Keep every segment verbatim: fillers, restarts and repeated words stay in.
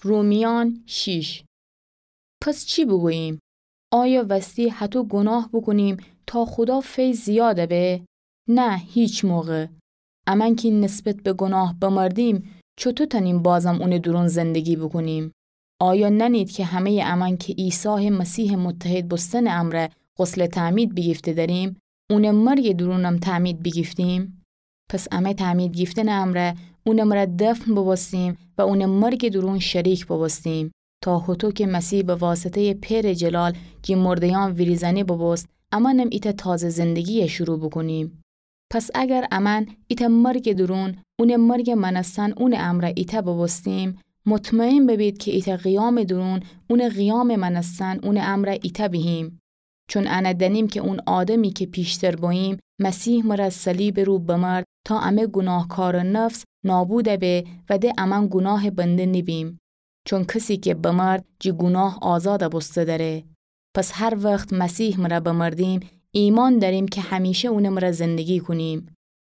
رومیان شیش. پس چی بوگوییم؟ آیا وستی هتو گوناه بوکونیم تا خودا فیض زیاد به؟ نه، هیچ موقع. امأن کی نسبت به گوناه بمردیم، چوتو تنیم بازم اونٚ دورون زندگی بوکونیم؟ آیا ننید کی همه‌یٚ امأن کی عیسی مسیحٚ متحد بوستنٚ امرأ غسلٚ تعمید بیگیفته دریم، اونٚ مرگٚ دورونم تعمید بیگیفتیم؟ پس امه تعمید گیفتنٚ امرأ اونٚ مرأ دفن بوبوستیم و اونٚ مرگٚ دورون شریک بوبوستیم، تا هوطو کی مسیح به واسطه‌یٚ پئرٚ جلال جٚه مرده‌یأن ویریزأنه بوبوست، امأنم ایتأ تازه زندگی شروع بوکونیم. پس اگر امأن ایتأ مرگٚ دورون اونٚ مرگٚ مأنستن اونٚ امرأ ایتأ بوبوستیم، مطمئن ببید کی ایتأ قیامٚ دورون اونٚ قیامٚ مأنستن اونٚ امرأ ایتأ بیهیم. چون انه دأنیم کی اون آدمی کی پیشتر بوییم، مسیح مرأ صلیبٚ رو بمرد تا امه گوناهکارٚ نفس نابود به و د امأن گوناهٚ بنده نیبیم. چون کسی کی بمرد، جٚه گوناه آزاد بوسته دره. پس هر وخت مسیح مرأ بمردیم، ایمأن دأریم کی همیشه اونٚ مرأ زندگی کونیم.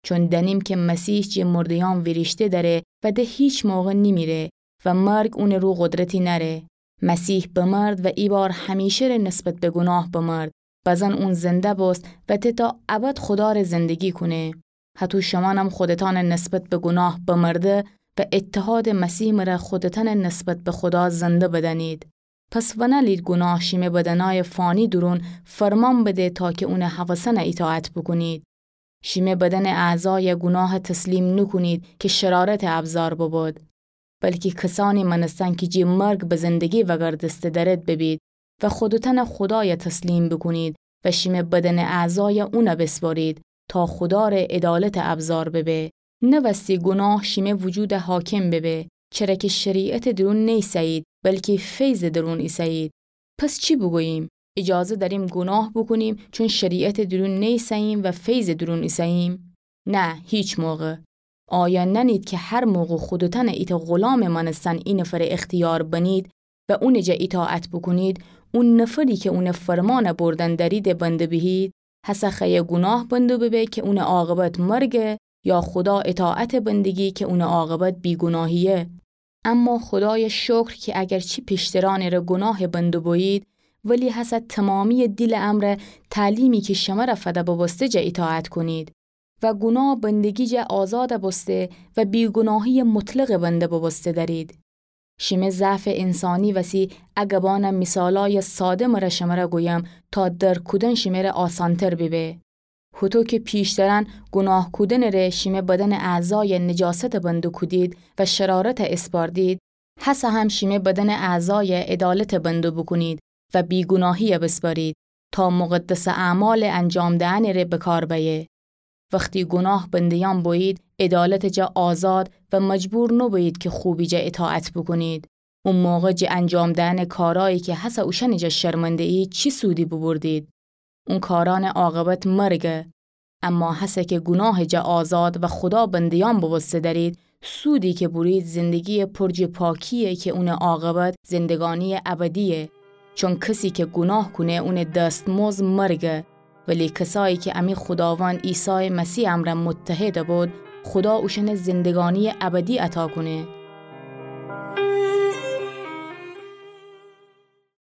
چون دأنیم کی مسیح جٚه مرده‌یأن ویریشته دره و د هیچ موقع نیمیره و مرگ اونٚ رو قدرتی نأره. مسیح بمرد و ایبار همیشه‌ره نسبت به گوناه بمرد، بزن اون زنده بوست و د تا ابد خوداره زندگی کونه. هطو شمأنم خودتأنٚ نسبت به گوناه بمرده و اتحادٚ مسیح مرأ خودتأنٚ نسبت به خودا زنده بدأنید. پس ونألید گوناه شیمه بدنأیٚ فانی دورون فرمان بده تا کی اونٚ هوسأنٚ ایطاعت بوکونید. شیمه بدنٚ اعضای گوناه تسلیم نوکونید کی شرارتٚ ابزار ببود، بلکی کسأنی مأنستن کی جٚه مرگ به زندگی وگردسته درد ببید و خودتأنٚ خودای تسلیم بوکونید و شیمه بدنٚ اعضای اون بسپرید تا خوداره عدالتٚ ابزار ببه. نه وستی گوناه شیمه وجود حاکم ببه، چره کی شریعتٚ دورون نیسه‌یید، بلکی فیضٚ دورون ایسه‌یید. پس چی بوگوییم؟ ایجازه دأریم گوناه بوکونیم چون شریعتٚ دورون نیسه‌ییم و فیضٚ دورون ایسه‌ییم؟ نه، هیچ موقع. آیا نأنید کی هر موقع خودتأنٚ ایتأ غلامٚ مأنستن اینفرٚ اختیار بنید و اونٚ جا ایطاعت بوکونید، اون نفری کی اونٚ فرمانٚ بردن دریدٚ بنده بیهید؟ هسه خوأیه گوناه بندو ببه کی اونٚ عاقبت مرگه، یا خودا ایطاعتٚ بندگی کی اونٚ عاقبت بیگوناهییه؟ اما خودایٚ شکر کی اگرچی پیشترأنٚ ره گوناهٚ بندو بویید، ولی هسه تومامییٚ دیلٚ امرأ تعلیمی کی شمره فده بوبوسته جا ایطاعت کونید و گوناه بندگی جا آزاد بوسته و بیگوناهییٚ مطلقٚ بنده بوبوسته دأرید. شیمه ضعفٚ انسانی وسی ا گبأنٚ میثالأیٚ ساده مره شمره گویم تا درک کودن شیمره آسانتر بیبه. هوطو کی پیشترأن گوناه کودنٚ ره شیمه بدنٚ اعضای نجاستٚ بندو کودید و شرارت اسپاردید، هسه هم شیمه بدنٚ اعضای عدالتٚ بندو بوکونید و بیگوناهی بسپارید تا مقدسٚ اعمالٚ انجام دئنٚ ره بکار بأیه. وختی گوناه بنده‌یأن بویید، عدالتٚ جا آزاد و مجبور نوبویید کی خوبی جا ایطاعت بوکونید. او موقع جٚه انجام دئنٚ کارأیی کی هسه اوشأنٚ جا شرمنده ایید، چی سودی بوبردید؟ اون کارأنٚ عاقبت مرگه. اما هسه کی گوناهٚ جا آزاد و خودا بنده‌یأن بوبوسته دأرید، سودی کی بورید زندگییٚ پر جٚه پاکییه کی اونٚ عاقبت زندگانییٚ ابدییه. چون کسی کی گوناه کونه اونٚ دستمزد مرگه، ولی کسأیی کی امی خوداوند عیسایٚ مسیح امرأ متحد بود، خودا اوشأنٚ زندگانییٚ ابدی عطا کونه.